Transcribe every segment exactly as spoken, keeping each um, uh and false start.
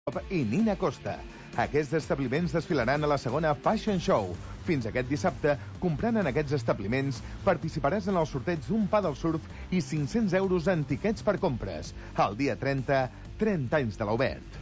i Nina Costa. Aquests establiments desfilaran a la segona Fashion Show. Fins aquest dissabte, comprant en aquests establiments, participaràs en el sorteig d'un pa del surf i cinc-cents euros en tiquets per compres. El dia trenta, trenta anys de l'Obert.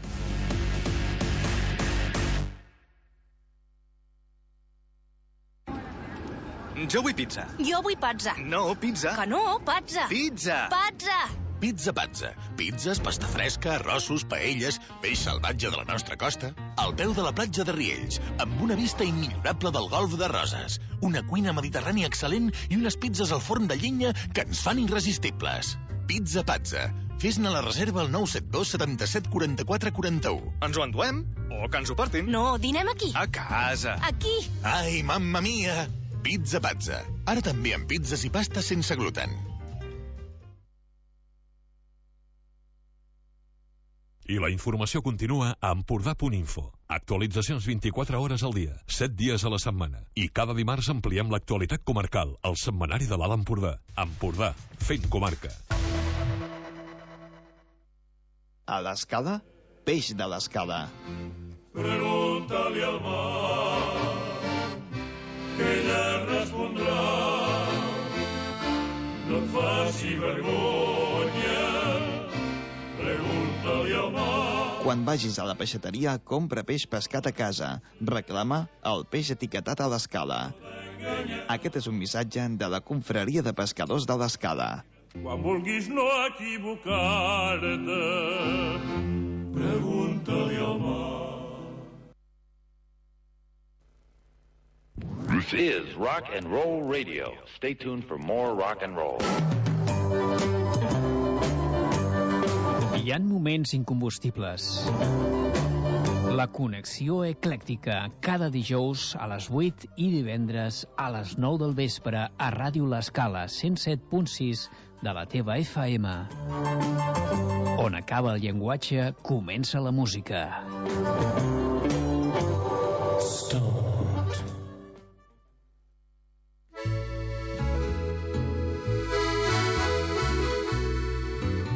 Jo vull pizza. Jo vull pazza. No, pizza. Que no, pazza. Pizza. Pazza. Pizza Pazza. Pizzas, pasta fresca, arrossos, paelles, peix salvatge de la nostra costa, al peu de la platja de Riells, amb una vista immillorable del golf de Roses, una cuina mediterrània excel·lent i unes pizzas al forn de llenya que ens fan irresistibles. Pizza Pazza. Fes-ne la reserva al nou set dos setanta-set quaranta-quatre quaranta-u. Ens ho enduem? O que ens ho portin? No, dinem aquí. A casa. Aquí. Ai, mamma mia! Pizza Pazza. Ara també amb pizzas i pastes sense gluten. I la informació continua a Empordà punt info. Actualitzacions vint-i-quatre hores al dia, set dies a la setmana. I cada dimarts ampliem l'actualitat comarcal, al setmanari de l'Alt Empordà. Empordà, fent comarca. A l'Escala, peix de l'Escala. Pregunta-li al mar, que ella respondrà. No et faci vergonya, pregunta-li al mar. Quan vagis a la peixateria, compra peix pescat a casa. Reclama el peix etiquetat a l'Escala. Aquest és un missatge de la Confraria de Pescadors de l'Escala. Quan vulguis no equivocar-te, pregunta-li al mar. This is Rock and Roll Radio. Stay tuned for more rock and roll. Hi ha moments incombustibles. La connexió eclèctica, cada dijous a les vuit i divendres a les nou del vespre a Ràdio L'Escala, cent set punt sis de la teva F M. On acaba el llenguatge, comença la música.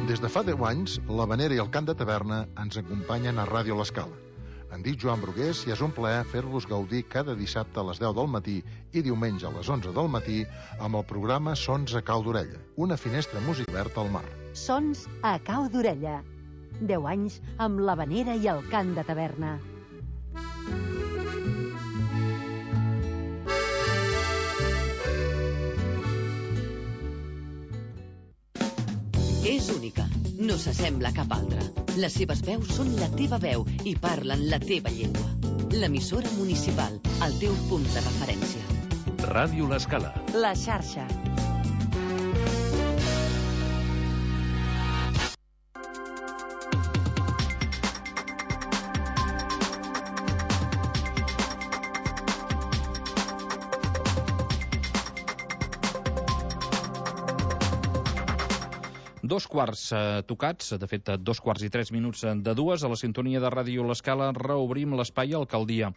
Des de fa deu anys, l'Havanera i el Cant de Taverna ens acompanyen a Ràdio L'Escala. Em dic Joan Brugués i és un plaer fer-vos gaudir cada dissabte a les deu del matí i diumenge a les onze del matí amb el programa Sons a Cau d'Orella, una finestra música oberta al mar. Sons a Cau d'Orella. deu anys amb l'Havanera i el Cant de Taverna. És única, no s'assembla a cap altra. Les seves veus són la teva veu i parlen la teva llengua. L'emissora municipal, el teu punt de referència. Ràdio L'Escala. La xarxa. Dos quarts eh, tocats, de fet, dos quarts i tres minuts de dues, a la sintonia de Ràdio L'Escala reobrim l'espai Alcaldia.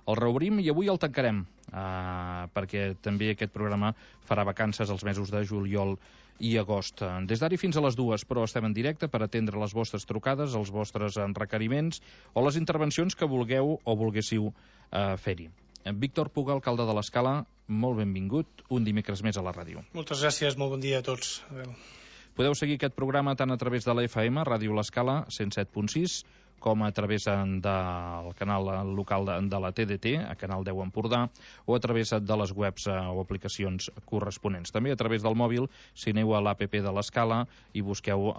El reobrim i avui el tancarem, eh, perquè també aquest programa farà vacances els mesos de juliol i agost. Des d'ara fins a les dues, però estem en directe per atendre les vostres trucades, els vostres requeriments o les intervencions que vulgueu o volguéssiu eh, fer-hi. Víctor Puga, alcalde de l'Escala, molt benvingut un dimecres més a la ràdio. Moltes gràcies, molt bon dia a tots. Adéu. Podeu seguir aquest programa tant a través de la F M, Ràdio L'Escala, cent set punt sis, com a través del canal local de, de la T D T, a Canal deu Empordà, o a través de les webs eh, o aplicacions corresponents. També a través del mòbil, si aneu a l'A P P de l'Escala i busqueu eh,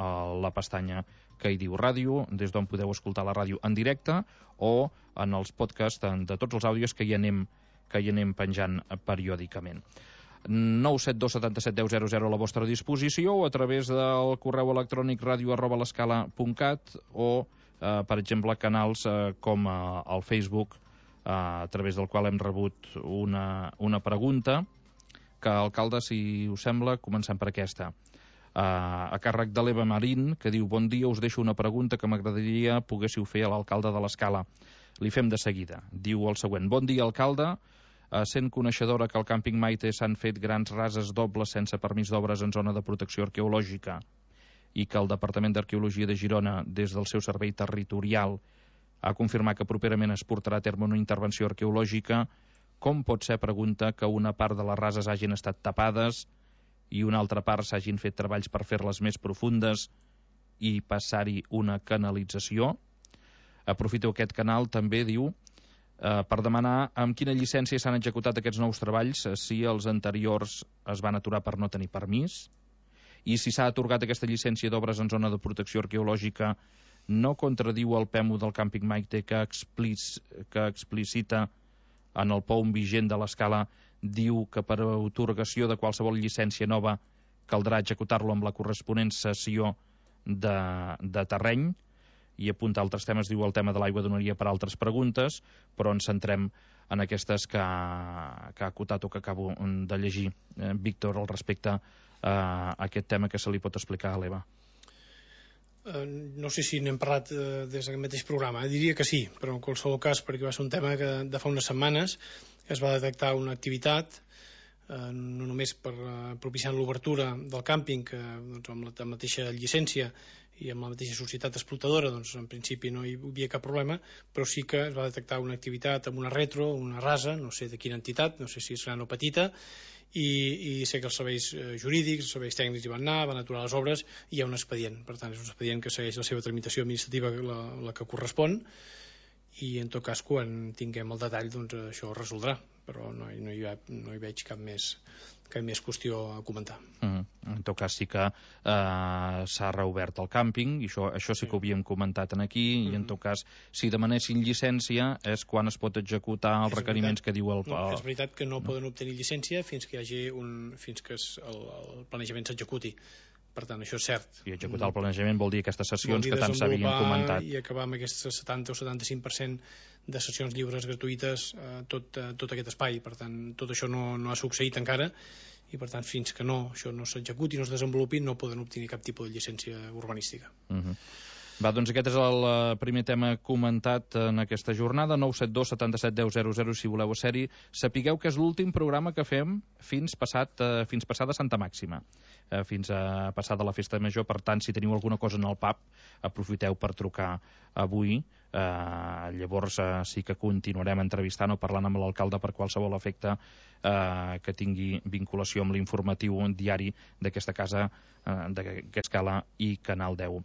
la pestanya que hi diu ràdio, des d'on podeu escoltar la ràdio en directe, o en els podcasts de tots els àudios que hi anem, que hi anem penjant periòdicament. nou set dos setanta set deu zero zero a la vostra disposició o a través del correu electrònic ràdio arroba l'escala punt cat o, eh, per exemple, canals eh, com eh, el Facebook, eh, a través del qual hem rebut una, una pregunta que, alcalde, si us sembla, comencem per aquesta. Eh, a càrrec de l'Eva Marín, que diu: bon dia, us deixo una pregunta que m'agradaria poguéssiu fer a l'alcalde de l'Escala. Li fem de seguida. Diu el següent: bon dia, alcalde. Uh, sent coneixedora que al càmping Maite s'han fet grans rases dobles sense permís d'obres en zona de protecció arqueològica i que el Departament d'Arqueologia de Girona, des del seu servei territorial, ha confirmat que properament es portarà a terme una intervenció arqueològica. Com pot ser, pregunta, que una part de les rases hagin estat tapades i una altra part s'hagin fet treballs per fer-les més profundes i passar-hi una canalització? Aprofito aquest canal, també, diu, eh, per demanar amb quina llicència s'han executat aquests nous treballs, si els anteriors es van aturar per no tenir permís, i si s'ha atorgat aquesta llicència d'obres en zona de protecció arqueològica, no contradiu el P E M U del càmping Maite que, explic, que explicita en el P O U M vigent de l'Escala, diu que per a atorgació de qualsevol llicència nova caldrà executar-lo amb la corresponent cessió de, de terreny, i apunta altres temes, diu el tema de l'aigua donaria per altres preguntes, però ens centrem en aquestes que, que ha acotat o que acabo de llegir, eh, Víctor, al respecte a aquest tema que se li pot explicar a l'Eva. Uh, no sé si n'hem parlat uh, des d'aquest mateix programa, eh? Diria que sí, però en qualsevol cas, perquè va ser un tema que de fa unes setmanes es va detectar una activitat, uh, no només per uh, propiciar l'obertura del càmping, que doncs, amb la mateixa llicència i amb la mateixa societat explotadora, doncs en principi no hi havia cap problema, però sí que es va detectar una activitat amb una retro, una rasa, no sé de quina entitat, no sé si és gran o petita, i, i sé que els serveis jurídics, els serveis tècnics hi van anar, van aturar les obres i hi ha un expedient. Per tant, és un expedient que segueix la seva tramitació administrativa, la, la que correspon, i en tot cas, quan tinguem el detall, doncs això es resoldrà, però no, no, hi, ha, no hi veig cap més, cap més qüestió a comentar. Mm. En tot cas sí que eh, s'ha reobert el càmping, i això, això sí que ho havíem comentat aquí, mm. i en tot cas, si demanessin llicència és quan es pot executar els és requeriments veritat. que diu el... No, és veritat que no, no poden obtenir llicència fins que hi hagi un, fins que es, el, el planejament s'executi. Per tant, això és cert. I executar el planejament vol dir aquestes sessions que tant s'havien comentat. I acabar amb aquest setanta o setanta-cinc per cent de sessions lliures gratuïtes eh, tot, eh, tot aquest espai. Per tant, tot això no, no ha succeït encara, i per tant, fins que no, això no s'executi, no es desenvolupi, no poden obtenir cap tipus de llicència urbanística. Uh-huh. Va, doncs aquest és el primer tema comentat en aquesta jornada. Nou set dos setanta-set deu zero zero si voleu ser-hi. Sapigueu que és l'últim programa que fem fins passat, eh, fins passada Santa Màxima, eh, fins a passada la Festa Major. Per tant, si teniu alguna cosa en el pub, aprofiteu per trucar avui. Eh, llavors eh, sí que continuarem entrevistant o parlant amb l'alcalde per qualsevol efecte eh, que tingui vinculació amb l'informatiu diari d'aquesta casa, eh, d'aquesta Escala i Canal deu.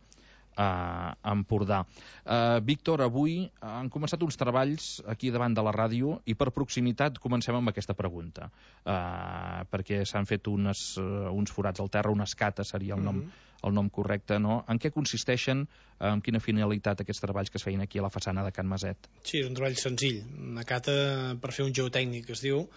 a Empordà. Uh, Víctor, avui han començat uns treballs aquí davant de la ràdio i per proximitat comencem amb aquesta pregunta, uh, perquè s'han fet unes, uh, uns forats al terra, una escata seria el nom, mm-hmm. el nom correcte, no? En què consisteixen, amb quina finalitat aquests treballs que es feien aquí a la façana de Can Maset? Sí, és un treball senzill, una cata per fer un geotècnic, es diu,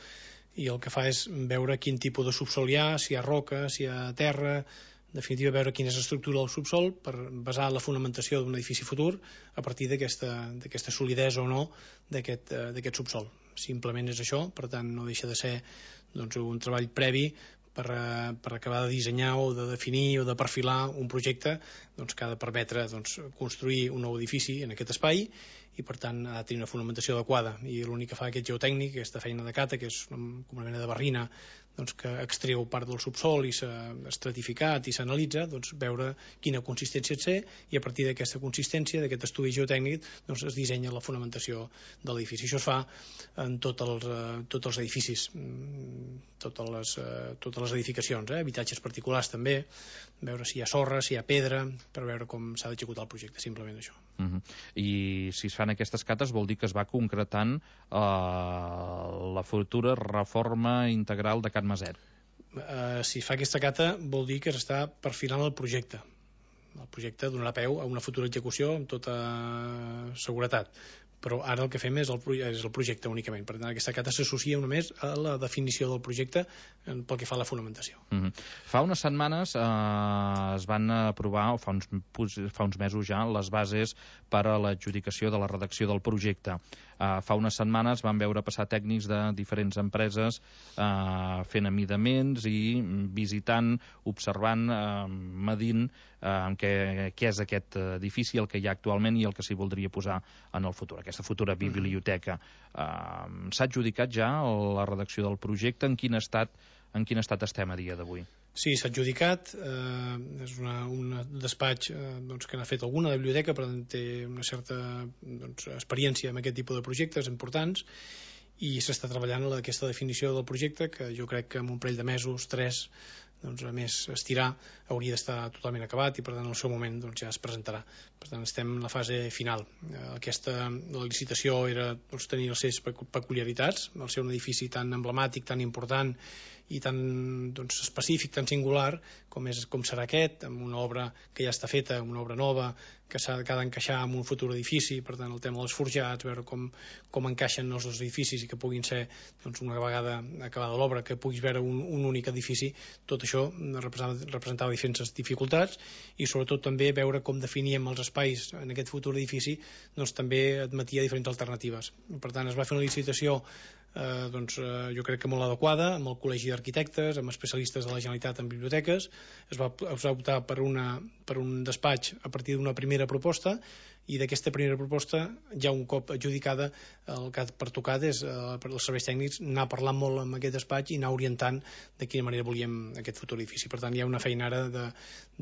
i el que fa és veure quin tipus de subsol hi ha, si hi ha roca, si hi ha terra, en definitiva veure quina és l'estructura del subsol per basar la fonamentació d'un edifici futur a partir d'aquesta solidesa o no d'aquest uh, subsol. Simplement és això, per tant no deixa de ser doncs, un treball previ per, uh, per acabar de dissenyar o de definir o de perfilar un projecte doncs, que ha de permetre doncs, construir un nou edifici en aquest espai i per tant ha de tenir una fonamentació adequada, i l'únic que fa aquest geotècnic, aquesta feina de cata, que és una mena de barrina doncs, que extreu part del subsol i s'ha estratificat i s'analitza, doncs, veure quina consistència té, i a partir d'aquesta consistència, d'aquest estudi geotècnic, doncs, es dissenya la fonamentació de l'edifici. Això es fa en tots els, uh, tots els edificis, totes les, uh, totes les edificacions, eh? Habitatges particulars també, veure si hi ha sorra, si hi ha pedra, per veure com s'ha d'executar el projecte, simplement això. Uh-huh. I si es fan aquestes cates vol dir que es va concretant uh, la futura reforma integral de Can Maset. Uh, si fa aquesta cata vol dir que s'està perfilant el projecte. El projecte donarà peu a una futura execució amb tota seguretat, però ara el que fem és el, és el projecte únicament. Per tant, aquesta cata s'associa només a la definició del projecte pel que fa a la fonamentació. Uh-huh. Fa unes setmanes eh, es van aprovar, o fa uns, fa uns mesos ja, les bases per a l'adjudicació de la redacció del projecte. Uh, fa unes setmanes van veure passar tècnics de diferents empreses uh, fent amidaments i visitant, observant, uh, medint uh, què, què és aquest edifici, el que hi ha actualment i el que s'hi voldria posar en el futur, aquesta futura biblioteca. Uh, S'ha adjudicat ja la redacció del projecte? En quin estat en quin estat estem a dia d'avui? Sí, s'ha adjudicat, eh, és una, un despatx eh, doncs, que n'ha fet alguna de biblioteca, per tant té una certa doncs, experiència en aquest tipus de projectes importants, i s'està treballant en aquesta definició del projecte, que jo crec que en un parell de mesos, tres, doncs, a més estirar, hauria d'estar totalment acabat i per tant en el seu moment doncs, ja es presentarà. Per tant estem en la fase final. Aquesta la licitació era doncs, tenir les seves peculiaritats, al ser un edifici tan emblemàtic, tan important i tan doncs, específic, tan singular com, és, com serà aquest, amb una obra que ja està feta, una obra nova que s'ha d'encaixar en un futur edifici, per tant el tema dels forjats, veure com, com encaixen els dos edificis i que puguin ser doncs, una vegada acabada l'obra, que puguis veure un, un únic edifici. Tot això representava, representava diferents dificultats i sobretot també veure com definíem els espais en aquest futur edifici doncs, també admetia diferents alternatives. Per tant es va fer una licitació Eh, doncs, eh, jo crec que molt adequada, amb el Col·legi d'Arquitectes, amb especialistes de la Generalitat en biblioteques. Es va, es va optar per, una, per un despatx a partir d'una primera proposta, i d'aquesta primera proposta, ja un cop adjudicada, el que ha pertocat és eh, per als serveis tècnics anar parlant molt amb aquest despatx i anar orientant de quina manera volíem aquest futur edifici. Per tant, hi ha una feina ara de,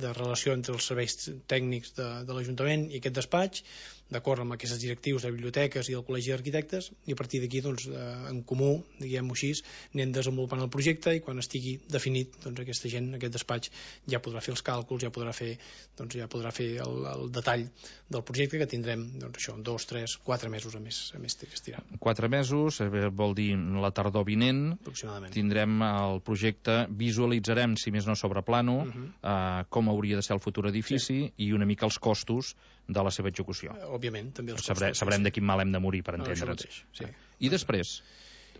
de relació entre els serveis tècnics de, de l'Ajuntament i aquest despatx, d'acord amb aquests directius de biblioteques i del Col·legi d'Arquitectes, i a partir d'aquí, doncs, en comú, diguem-ho així, anem desenvolupant el projecte, i quan estigui definit, doncs aquesta gent, aquest despatx, ja podrà fer els càlculs, ja podrà fer, doncs, ja podrà fer el, el detall del projecte, que tindrem, doncs, això, dos, tres, quatre mesos a més, a més estirar. Quatre mesos, vol dir la tardor vinent, tindrem el projecte, visualitzarem, si més no sobre plano, uh -huh. eh, com hauria de ser el futur edifici, sí. I una mica els costos de la seva execució. Òbviament, també els Sabrem, costos. Sabrem sí. de quin mal hem de morir, per entendre'ns. Sí. I després?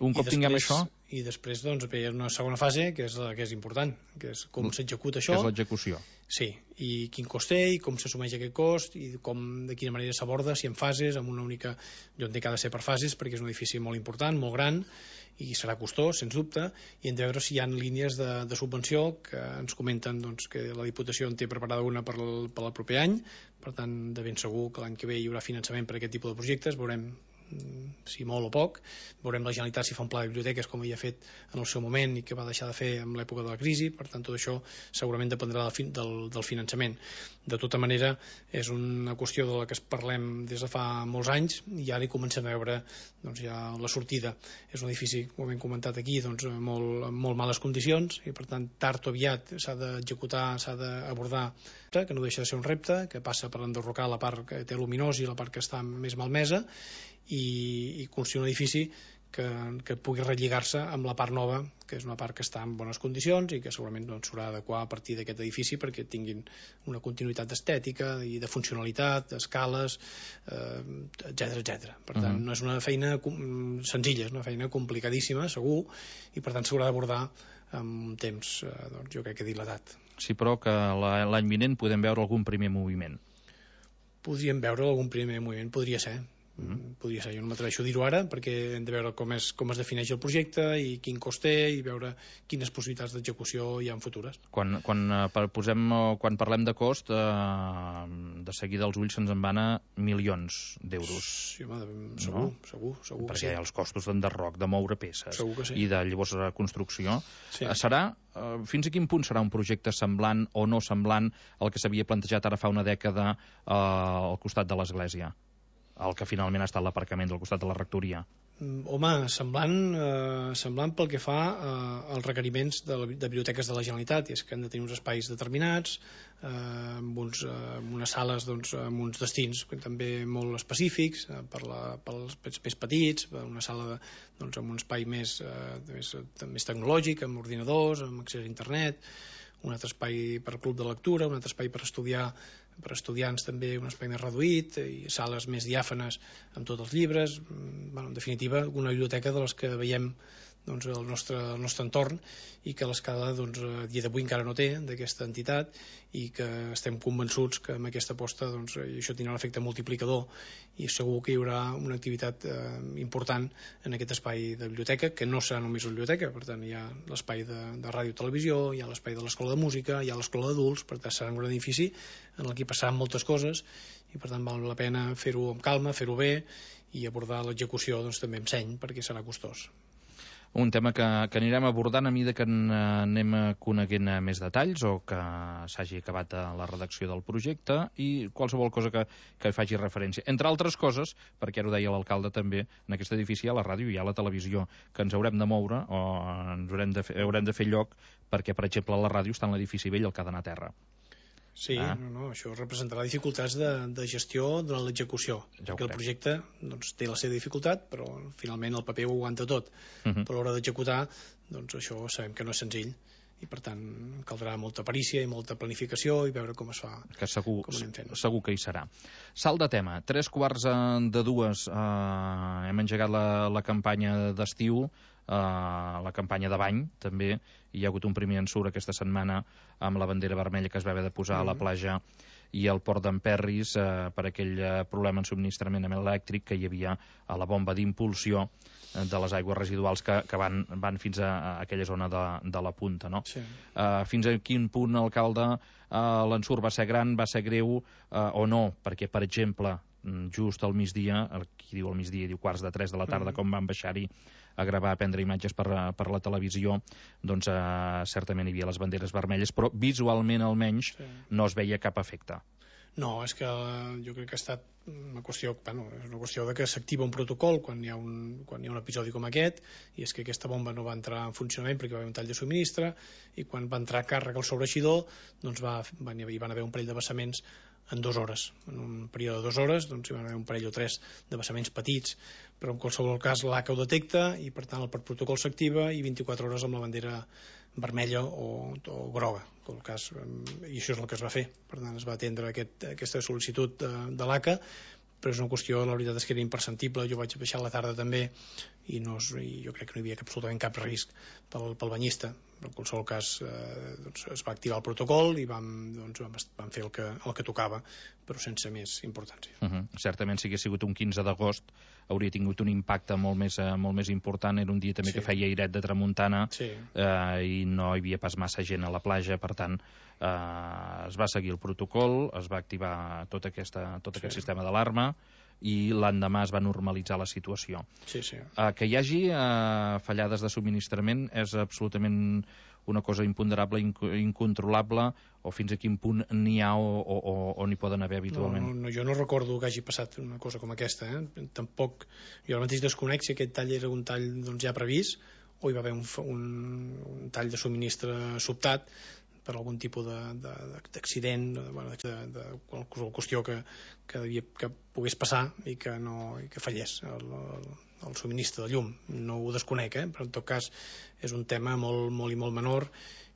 Un cop I després, tinguem això... I després, doncs, hi ha una segona fase, que és la que és important, que és com s'executa això. Que és l'execució. Sí, i quin cost té, i com s'assumeix aquest cost, i com, de quina manera s'aborda, si en fases, amb una única... Jo entenc que ha de ser per fases, perquè és un edifici molt important, molt gran, i serà costós, sens dubte, i hem de veure si hi ha línies de, de subvenció, que ens comenten doncs, que la Diputació en té preparada una per el, per el proper any, per tant, de ben segur que l'any que ve hi haurà finançament per a aquest tipus de projectes, veurem si molt o poc, veurem la Generalitat si fa un pla de biblioteques com havia fet en el seu moment i que va deixar de fer en l'època de la crisi. Per tant, tot això segurament dependrà del, fin, del, del finançament. De tota manera, és una qüestió de la que es parlem des de fa molts anys, i ara hi comencem a veure doncs, ja la sortida. És un edifici, com hem comentat aquí, doncs, molt, en molt males condicions, i per tant tard o aviat s'ha d'executar, s'ha d'abordar, que no deixa de ser un repte, que passa per enderrocar la part que té luminós i la part que està més malmesa, i, i construir un edifici que, que pugui relligar-se amb la part nova, que és una part que està en bones condicions i que segurament doncs, s'haurà d'adequar a partir d'aquest edifici perquè tinguin una continuïtat estètica i de funcionalitat, d'escales, eh, etcètera, etcètera. Per tant, uh -huh. no és una feina senzilla, és una feina complicadíssima, segur, i per tant s'haurà d'abordar amb un temps, eh, doncs, jo crec que dilatat. Sí, però que l'any vinent podem veure algun primer moviment. Podríem veure algun primer moviment, podria ser. Mm. Podria ser, jo no m'atreveixo a dir-ho ara perquè hem de veure com es, com es defineix el projecte i quin cost té i veure quines possibilitats d'execució hi ha en futures. Quan, quan, eh, posem, quan parlem de cost, eh, de seguida els ulls se'ns en van a milions d'euros. Sí, home, segur, no? segur, segur perquè que sí. Perquè hi ha els costos d'enderroc, de moure peces sí. i de llavors la construcció. Sí. Serà, eh, fins a quin punt serà un projecte semblant o no semblant al que s'havia plantejat ara fa una dècada eh, al costat de l'església? El que finalment ha estat l'aparcament del costat de la rectoria. Home, semblant, eh, semblant pel que fa eh, als requeriments de, la, de biblioteques de la Generalitat, i és que han de tenir uns espais determinats, eh, amb, uns, eh, amb unes sales doncs, amb uns destins també molt específics, eh, per la, pels més petits, una sala de, doncs, amb un espai més, eh, més, més tecnològic, amb ordinadors, amb accés a internet, un altre espai per club de lectura, un altre espai per estudiar per estudiants també un espai més reduït i sales més diàfanes amb tots els llibres. Bueno, en definitiva, una biblioteca de les que veiem doncs, el, nostre, el nostre entorn i que l'escala doncs, a dia d'avui encara no té d'aquesta entitat i que estem convençuts que amb aquesta aposta doncs, això tindrà un efecte multiplicador i segur que hi haurà una activitat eh, important en aquest espai de biblioteca, que no serà només una biblioteca. Per tant, hi ha l'espai de, de ràdio i televisió, hi ha l'espai de l'escola de música, hi ha l'escola d'adults. Per tant, serà un edifici en el que passaran moltes coses i per tant val la pena fer-ho amb calma, fer-ho bé i abordar l'execució doncs, també amb seny perquè serà costós. un tema que, que anirem abordant a mesura que en, anem coneguent més detalls o que s'hagi acabat la redacció del projecte i qualsevol cosa que, que hi faci referència. Entre altres coses, perquè ara ho deia l'alcalde també, en aquest edifici hi ha la ràdio i hi ha la televisió, que ens haurem de moure o ens haurem de fer, haurem de fer lloc perquè, per exemple, la ràdio està en l'edifici vell, el que ha d'anar a terra. Sí, ah. no, no, això representarà dificultats de, de gestió durant l'execució, ja perquè el projecte doncs, té la seva dificultat, però finalment el paper ho aguanta tot. Uh -huh. Però a l'hora d'executar, doncs això sabem que no és senzill, i per tant caldrà molta perícia i molta planificació i veure com es fa, que segur, com anem fent. Segur que hi serà. Salt de tema, tres quarts de dues, eh, hem engegat la, la campanya d'estiu, Uh, la campanya de bany també, hi ha hagut un primer ensurt aquesta setmana amb la bandera vermella que es va haver de posar mm. a la platja i al port d'Emperris uh, per aquell uh, problema en subministrament elèctric que hi havia a la bomba d'impulsió uh, de les aigües residuals que, que van, van fins a, a aquella zona de, de la punta, no? Sí. Uh, fins a quin punt, alcalde, uh, l'ensurt va ser gran, va ser greu uh, o no? Perquè, per exemple, just al migdia, qui diu al migdia diu quarts de tres de la tarda, mm. com van baixar-hi a gravar, a prendre imatges per, per la televisió, doncs eh, certament hi havia les banderes vermelles, però visualment almenys sí. no es veia cap efecte. No, és que jo crec que ha estat una qüestió, bueno, és una qüestió de que s'activa un protocol quan hi ha un, quan hi ha un episodi com aquest, i és que aquesta bomba no va entrar en funcionament perquè va haver un tall de subministre, i quan va entrar càrrega al sobreixidor, doncs va, van, hi van haver un parell de vessaments en dues hores. En un període de dues hores doncs, hi van haver un parell o tres de vessaments petits, però en qualsevol cas l'A C A ho detecta i per tant el protocol s'activa i vint-i-quatre hores amb la bandera vermella o, o groga, en tot cas, i això és el que es va fer. Per tant, es va atendre aquest, aquesta sol·licitud de, de l'A C A, però és una qüestió, la veritat és que era imperceptible. Jo vaig baixar a la tarda també i, no, i jo crec que no hi havia absolutament cap risc pel, pel banyista. En qualsevol cas eh, doncs es va activar el protocol i vam, doncs, vam, vam fer el que, el que tocava, però sense més importància. Uh -huh. Certament, si hagués sigut un quinze d'agost hauria tingut un impacte molt més, eh, molt més important. Era un dia també sí. que feia airet de tramuntana sí. eh, i no hi havia pas massa gent a la platja, per tant eh, es va seguir el protocol, es va activar tot, aquesta, tot sí. aquest sistema d'alarma i l'endemà es va normalitzar la situació. Sí, sí. Uh, que hi hagi uh, fallades de subministrament és absolutament una cosa imponderable, inc incontrolable, o fins a quin punt n'hi ha o, o, o n'hi poden haver habitualment? No, no, jo no recordo que hagi passat una cosa com aquesta. Eh? Tampoc, jo ara mateix desconec si aquest tall era un tall doncs, ja previst o hi va haver un, un, un tall de subministre sobtat per algun tipus d'accident, de, de, bueno, de, de, de qualsevol qüestió que, que, devia, que pogués passar i que, no, i que fallés el, el, el subministre de llum. No ho desconec, eh? Però en tot cas és un tema molt, molt i molt menor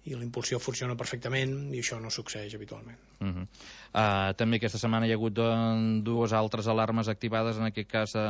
i la impulsió funciona perfectament i això no succeeix habitualment. Uh -huh. uh, també aquesta setmana hi ha hagut uh, dues altres alarmes activades, en aquest cas uh,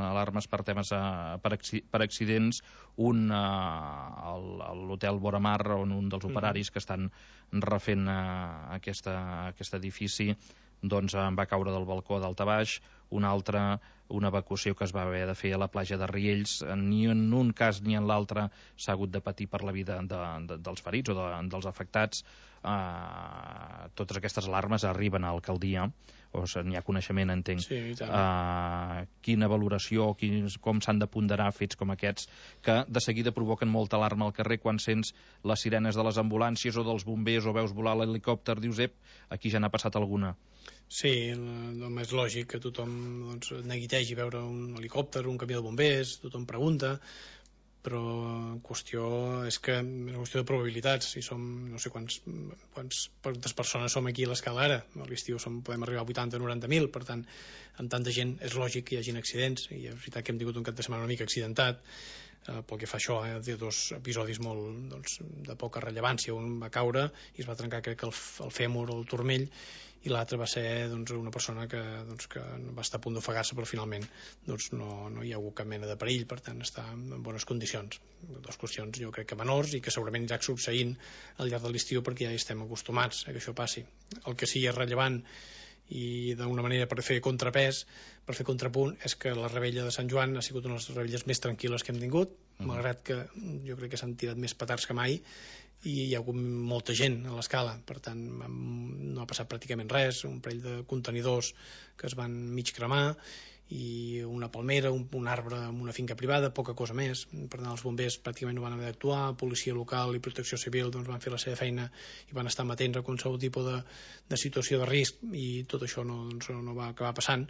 alarmes per temes uh, per, acci per accidents, un uh, a l'hotel Boramar, on un dels operaris uh -huh. que estan refent uh, aquesta, aquest edifici doncs en va caure del balcó d'alt a baix, un altre, una evacuació que es va haver de fer a la platja de Riells. Ni en un cas ni en l'altre s'ha hagut de patir per la vida de, de, dels ferits o de, dels afectats. Uh, totes aquestes alarmes arriben a l'alcaldia, o n'hi ha coneixement, entenc. Sí, i tant. Uh, quina valoració, quins, com s'han de ponderar fets com aquests, que de seguida provoquen molta alarma al carrer quan sents les sirenes de les ambulàncies o dels bombers o veus volar l'helicòpter, dius, ep, aquí ja n'ha passat alguna. Sí, el més lògic que tothom doncs, neguitegi veure un helicòpter, un camió de bombers, tothom pregunta, però en qüestió és que és una qüestió de probabilitats. Si som, no sé quants, quants, quantes persones som aquí a l'escala ara, a l'estiu podem arribar a vuitanta o noranta mil, per tant, amb tanta gent és lògic que hi hagin accidents, i és veritat que hem tingut un cap de setmana una mica accidentat, eh, pel que fa a això, eh, de dos episodis molt doncs, de poca rellevància. Un va caure i es va trencar, crec que el, el fèmur o el turmell, i l'altre va ser doncs, una persona que, doncs, que va estar a punt d'ofegar-se, però finalment doncs, no, no hi ha hagut cap mena de perill, per tant està en bones condicions. Dues qüestions jo crec que menors i que segurament ja succeint al llarg de l'estiu perquè ja estem acostumats a que això passi. El que sí és rellevant i d'una manera per fer contrapès, per fer contrapunt, és que la rebella de Sant Joan ha sigut una de les rebelles més tranquil·les que hem tingut, mm. malgrat que jo crec que s'han tirat més petards que mai i hi ha hagut molta gent a l'escala, per tant no ha passat pràcticament res, un parell de contenidors que es van mig cremar i una palmera, un, un arbre en una finca privada, poca cosa més. Per tant, els bombers pràcticament no van haver d'actuar, policia local i protecció civil doncs, van fer la seva feina i van estar amatents a qualsevol tipus de, de situació de risc, i tot això no, doncs, no va acabar passant,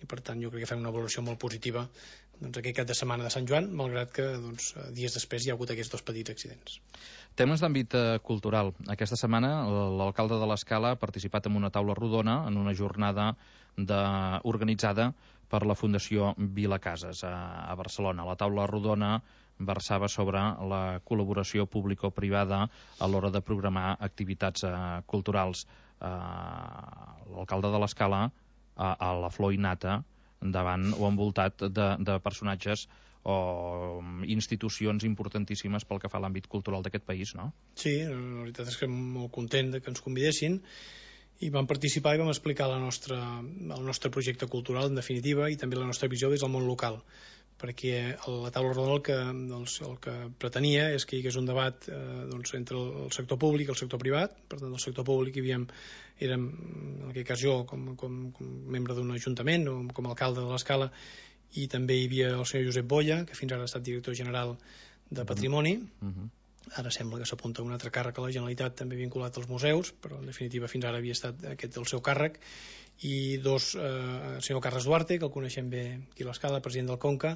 i per tant jo crec que fem una valoració molt positiva doncs, aquest cap de setmana de Sant Joan, malgrat que doncs, dies després hi ha hagut aquests dos petits accidents. Temes d'àmbit eh, cultural. Aquesta setmana l'alcalde de l'Escala ha participat en una taula rodona en una jornada de... organitzada per la Fundació Vilacases a, a Barcelona. La taula rodona versava sobre la col·laboració público-privada a l'hora de programar activitats eh, culturals. Eh, L'alcalde de l'Escala, a, a la flor innata, davant o envoltat de, de personatges o institucions importantíssimes pel que fa a l'àmbit cultural d'aquest país, no? Sí, la veritat és que molt content de que ens convidessin, i vam participar i vam explicar la nostra, el nostre projecte cultural, en definitiva, i també la nostra visió des del món local, perquè la taula rodona el que, doncs, el que pretenia és que hi hagués un debat eh, doncs, entre el sector públic i el sector privat. Per tant, el sector públic hi havíem, érem, en aquest cas jo, com, com, com membre d'un ajuntament o com a alcalde de l'Escala, i també hi havia el senyor Josep Boya, que fins ara ha estat director general de Patrimoni. Uh-huh. Ara sembla que s'apunta un altre càrrec a la Generalitat també vinculat als museus, però en definitiva fins ara havia estat aquest el seu càrrec, i dos, eh, el senyor Carles Duarte, que el coneixem bé aquí a l'Escala, president del Conca,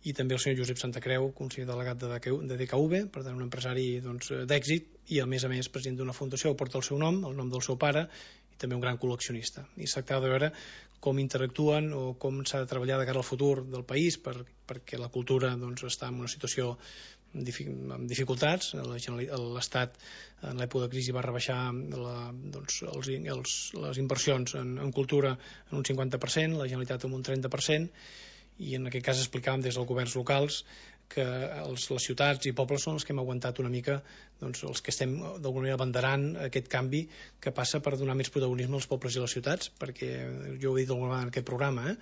i també el senyor Josep Santacreu, conseller delegat de D K V, per tant un empresari doncs, d'èxit, i a més a més president d'una fundació que porta el seu nom, el nom del seu pare, i també un gran col·leccionista. I es tractava de veure com interactuen o com s'ha de treballar de cara al futur del país, per, perquè la cultura doncs, està en una situació amb dificultats. L'Estat en l'època de crisi va rebaixar la, doncs, els, els, les inversions en, en cultura en un cinquanta per cent, la Generalitat en un trenta per cent, i en aquest cas explicàvem des dels governs locals que els, les ciutats i pobles són els que hem aguantat una mica, doncs, els que estem d'alguna manera abanderant aquest canvi que passa per donar més protagonisme als pobles i a les ciutats, perquè jo ho he dit d'alguna vegada en aquest programa, eh?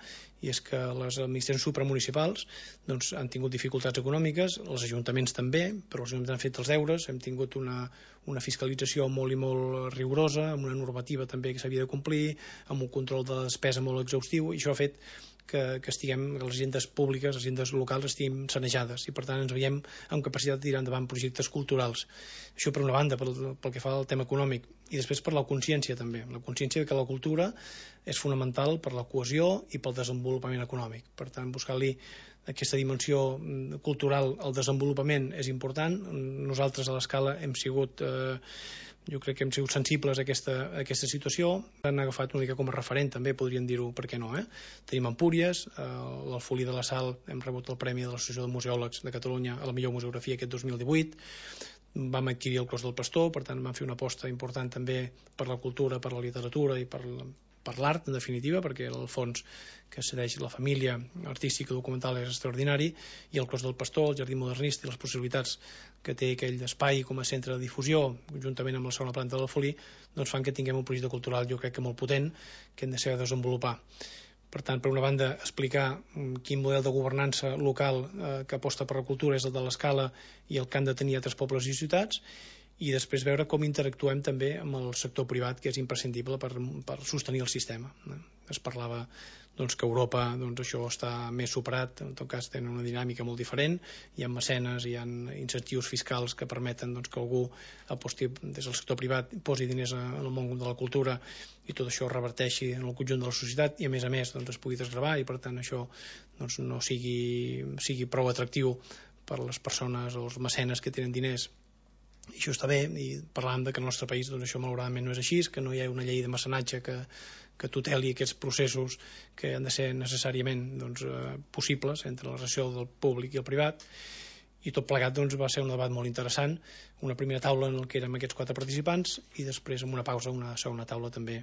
I és que les administracions supramunicipals doncs, han tingut dificultats econòmiques, els ajuntaments també, però els ajuntaments han fet els deures, hem tingut una, una fiscalització molt i molt rigorosa, amb una normativa també que s'havia de complir, amb un control de la despesa molt exhaustiu, i això ha fet que, que estiguem, que les agendes públiques, les agendes locals estiguin sanejades, i per tant ens veiem amb capacitat de tirar endavant projectes culturals. Això per una banda, pel, pel que fa al tema econòmic, i després per la consciència també, la consciència que la cultura és fonamental per la cohesió i pel desenvolupament econòmic. Per tant, buscar-li aquesta dimensió cultural al desenvolupament és important. Nosaltres a l'Escala hem sigut eh, jo crec que hem sigut sensibles a aquesta, a aquesta situació. Han agafat una mica com a referent, també podríem dir-ho, per què no, eh? Tenim Empúries, eh, l'Alfolí de la Sal, hem rebut el Premi de l'Associació de Museòlegs de Catalunya a la millor museografia aquest dos mil divuit, vam adquirir el Clos del Pastor, per tant vam fer una aposta important també per la cultura, per la literatura i per, per l'art, en definitiva, perquè el fons que cedeix la família artística documental és extraordinari, i el Clos del Pastor, el Jardí Modernista i les possibilitats que té aquell espai com a centre de difusió, juntament amb la segona planta de l'Alfolí, doncs fan que tinguem un projecte cultural, jo crec que molt potent, que hem de saber desenvolupar. Per tant, per una banda, explicar quin model de governança local eh, que aposta per la cultura és el de l'Escala i el que han de tenir altres pobles i ciutats, i després veure com interactuem també amb el sector privat, que és imprescindible per, per sostenir el sistema. Es parlava doncs, que a Europa doncs, això està més superat, en tot cas tenen una dinàmica molt diferent, hi ha mecenes, hi ha incentius fiscals que permeten doncs, que algú aposti des del sector privat, posi diners en el món de la cultura i tot això reverteixi en el conjunt de la societat i a més a més doncs, es pugui desgravar i per tant això doncs, no sigui, sigui prou atractiu per les persones o els mecenes que tenen diners. I això està bé, i parlant de que al nostre país doncs, això malauradament no és així, que no hi ha una llei de mecenatge que, que tuteli aquests processos que han de ser necessàriament doncs, eh, possibles entre la relació del públic i el privat, i tot plegat doncs, va ser un debat molt interessant, una primera taula en què érem aquests quatre participants i després amb una pausa una segona taula també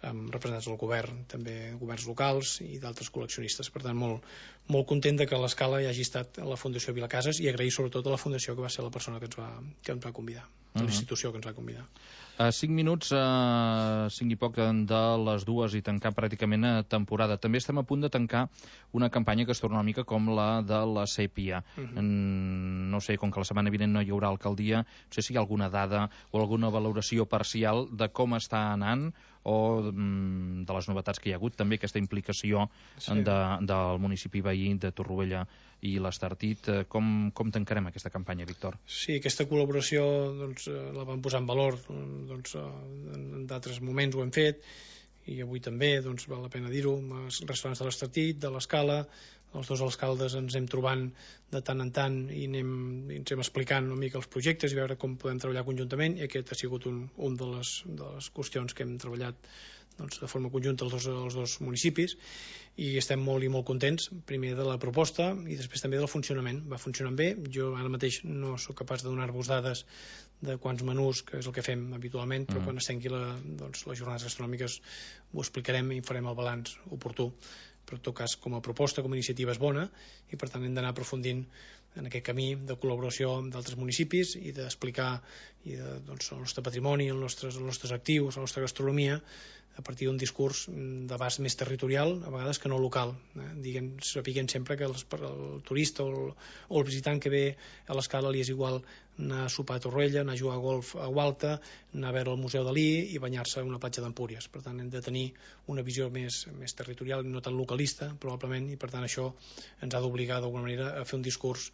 amb representants del govern, també governs locals i d'altres col·leccionistes. Per tant, molt, molt content de que a l'Escala hi hagi estat a la Fundació Vilacases i agrair sobretot a la Fundació que va ser la persona que ens va, que ens va convidar, uh-huh. la institució que ens va convidar. A cinc minuts, uh, cinc i poc de les dues i tancar pràcticament a temporada. També estem a punt de tancar una campanya gastronòmica com la de la sèpia. Uh-huh. Mm, no sé, com que la setmana vinent no hi haurà alcaldia, no sé si hi ha alguna dada o alguna valoració parcial de com està anant o mm, de les novetats que hi ha hagut, també aquesta implicació sí. de, del municipi veí de Torroella i l'Estartit. Com, com tancarem aquesta campanya, Víctor? Sí, aquesta col·laboració doncs, la vam posar en valor doncs, en d'altres moments ho hem fet, i avui també, doncs val la pena dir-ho, amb els restaurants de l'Estartit, de l'Escala, els dos alcaldes ens hem trobant de tant en tant i, anem, i ens hem explicant una mica els projectes i veure com podem treballar conjuntament, i aquest ha sigut un, un de, les, de les qüestions que hem treballat doncs, de forma conjunta els dos, els dos municipis, i estem molt i molt contents, primer de la proposta i després també del funcionament. Va funcionant bé, jo ara mateix no sóc capaç de donar-vos dades de quants menús, que és el que fem habitualment, però mm. quan es tanqui la, doncs, les jornades gastronòmiques ho explicarem i farem el balanç oportú. Però en tot cas, com a proposta, com a iniciativa és bona, i per tant hem d'anar aprofundint en aquest camí de col·laboració amb d'altres municipis i d'explicar i de, doncs, el nostre patrimoni, els nostres, els nostres actius, la nostra gastronomia, a partir d'un discurs d'abast més territorial, a vegades que no local. Eh? Diguem, sapiguem sempre que els, el turista o el, o el visitant que ve a l'Escala li és igual anar a sopar a Torroella, anar a jugar a golf a Gualta, anar a veure el Museu Dalí i banyar-se a una platja d'Empúries. Per tant, hem de tenir una visió més, més territorial i no tan localista, probablement, i per tant això ens ha d'obligar d'alguna manera a fer un discurs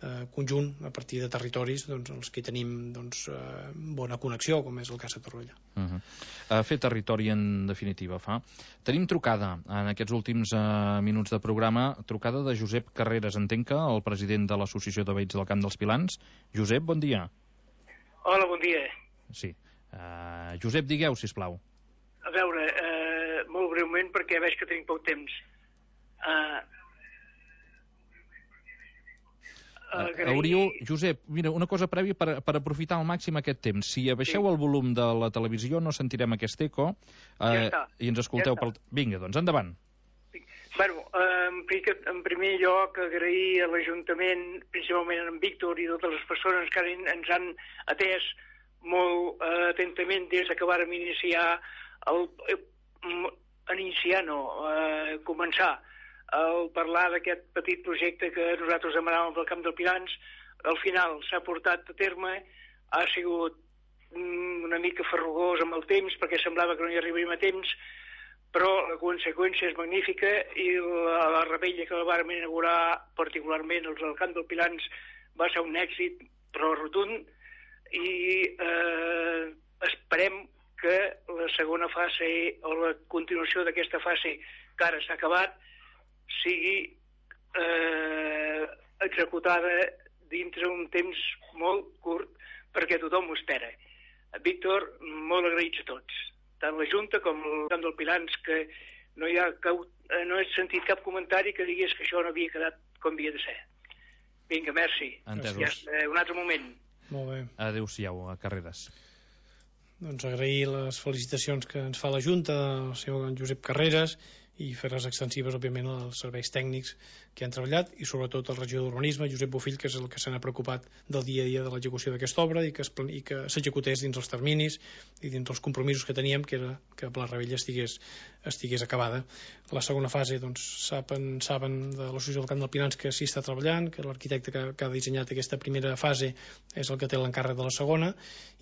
eh, conjunt a partir de territoris doncs, els que tenim doncs, eh, bona connexió, com és el cas de Torroella. Uh-huh. uh, fer territori, en definitiva, fa. Tenim trucada en aquests últims uh, minuts de programa, trucada de Josep Carreras, entenc que el president de l'Associació de Veïns del Camp dels Pilans. Josep, bon dia. Hola, bon dia. Sí. Uh, Josep, digueu, sisplau. A veure, uh, molt breument, perquè veig que tenim poc temps. Uh, uh, hauríeu, Josep, mira, una cosa prèvia per, per aprofitar al màxim aquest temps. Si abaixeu sí. el volum de la televisió no sentirem aquest eco uh, ja i ens escolteu ja pel... Vinga, doncs, endavant. Bueno, en primer lloc agrair a l'Ajuntament, principalment en Víctor i totes les persones que ens han atès molt uh, atentament des que vàrem iniciar el, uh, iniciar no, uh, començar a parlar d'aquest petit projecte que nosaltres demanàvem del Camp del Pilans. Al final s'ha portat a terme, ha sigut um, una mica farrugós amb el temps perquè semblava que no hi arribaríem a temps, però la conseqüència és magnífica i la, la rebella que la vàrem inaugurar particularment els del Camp del Pilans va ser un èxit però rotund, i eh, esperem que la segona fase o la continuació d'aquesta fase que ara s'ha acabat sigui eh, executada dintre un temps molt curt perquè tothom ho espera. Víctor, molt agraïts a tots, tant la Junta com el Camp del Pilans, que no, hi ha cap, no he sentit cap comentari que digués que això no havia quedat com havia de ser. Vinga, merci. Entesos. Ja, un altre moment. Molt bé. Adéu-siau, a Carreras. Doncs agrair les felicitacions que ens fa la Junta, el senyor Josep Carreras, i fer-les extensives, òbviament, als serveis tècnics que han treballat, i sobretot al regidor d'Urbanisme, Josep Bofill, que és el que se n'ha preocupat del dia a dia de l'execució d'aquesta obra i que, es, i que s'executés dins els terminis i dins els compromisos que teníem, que era que la rebella estigués, estigués acabada. La segona fase, doncs, saben, saben de l'Associació del Camp del Pilans que s'hi està treballant, que l'arquitecte que, que ha dissenyat aquesta primera fase és el que té l'encàrrec de la segona,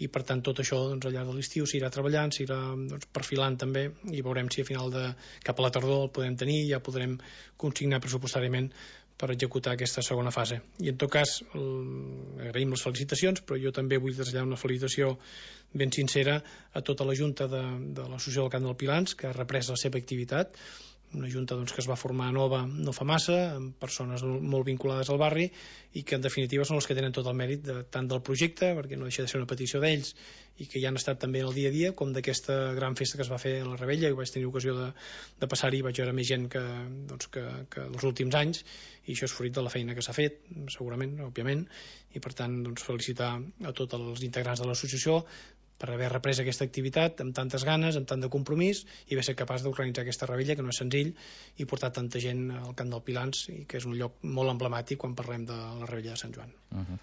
i per tant tot això doncs, al llarg de l'estiu s'irà treballant, s'irà doncs, perfilant també, i veurem si a final de cap a la tardor el podem tenir i ja podrem consignar pressupostàriament per executar aquesta segona fase. I en tot cas agraïm les felicitacions, però jo també vull traslladar una felicitació ben sincera a tota la Junta de, de l'Associació del Camp del Pilans, que ha reprès la seva activitat, una junta doncs, que es va formar nova no fa massa, amb persones molt vinculades al barri i que en definitiva són els que tenen tot el mèrit de, tant del projecte, perquè no deixa de ser una petició d'ells i que ja han estat també en el dia a dia, com d'aquesta gran festa que es va fer a la Rebella, i vaig tenir ocasió de, de passar-hi i vaig veure més gent que, doncs, que, que els últims anys, i això és fruit de la feina que s'ha fet, segurament, òbviament, i per tant doncs, felicitar a tots els integrants de l'associació per haver reprès aquesta activitat amb tantes ganes, amb tant de compromís, i haver ser capaç d'organitzar aquesta rebella, que no és senzill, i portar tanta gent al Camp del Pilans, i que és un lloc molt emblemàtic quan parlem de la rebella de Sant Joan. Uh-huh.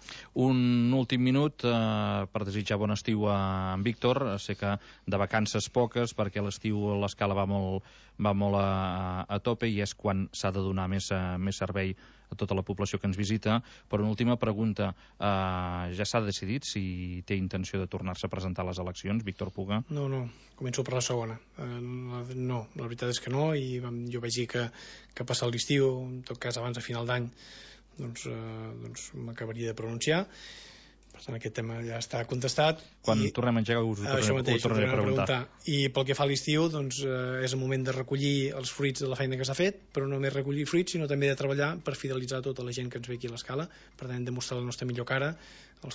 Un últim minut eh, per desitjar bon estiu a en Víctor. Sé que de vacances poques, perquè l'estiu l'escala va molt, va molt a, a tope i és quan s'ha de donar més, més servei a tota la població que ens visita. Per una última pregunta, eh, ja s'ha decidit si té intenció de tornar-se a presentar estar a les eleccions, Víctor Puga? No, no, començo per la segona. Eh, no, la veritat és que no, i jo vaig dir que, que passat l'estiu, en tot cas abans de final d'any, doncs, eh, doncs m'acabaria de pronunciar. Per tant, aquest tema ja està contestat. Quan i, tornem a engegar us ho tornaré, això mateix, ho tornaré a preguntar. preguntar. I pel que fa a l'estiu, doncs, eh, és el moment de recollir els fruits de la feina que s'ha fet, però no només recollir fruits, sinó també de treballar per fidelitzar tota la gent que ens ve aquí a l'Escala. Per tant, hem de mostrar la nostra millor cara, els,